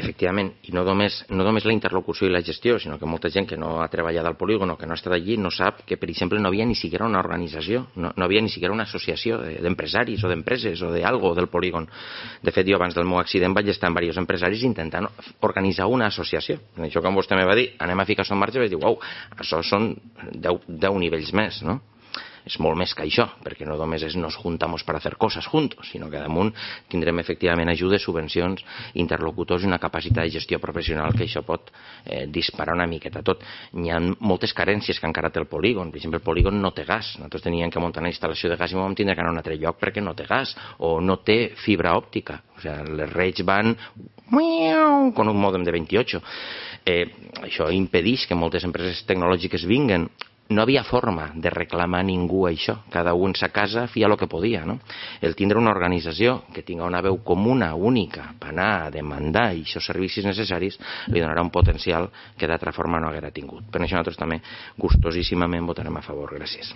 efectivament, i no només la interlocució i la gestió, sinó que molta gent que no ha treballat al polígon o que no ha estat allí no sap que, per exemple, no havia ni siquiera una organització, no havia ni siquiera una associació d'empresaris o d'empreses o d'algo del polígon. De fet, jo abans del meu accident vaig estar amb diversos empresaris intentant organitzar una associació. En això, quan vostè me va dir, anem a ficar això en marxa, vaig dir, uau, això són 10 nivells més, no? És molt més que això, perquè no només nos juntamos para hacer cosas juntos, sinó que damunt tindrem efectivament ajudes, subvencions, interlocutors i una capacitat de gestió professional que això pot disparar una miqueta tot. Hi ha moltes carències que encara té el polígon. Per exemple, el polígon no té gas. Nosaltres teníem que muntar una instal·lació de gas i vam tindre que anar a un altre lloc perquè no té gas o no té fibra òptica. O sigui, les redes van con un mòdem de 28. Això impedeix que moltes empreses tecnològiques vinguen. No havia forma de reclamar a ningú això. Cada un en sa casa feia el que podia, no? El tindre una organització que tinga una veu comuna, única, per anar a demandar aquests servicis necessaris, li donarà un potencial que d'altra forma no haguera tingut. Per això nosaltres també gustosíssimament votarem a favor. Gràcies.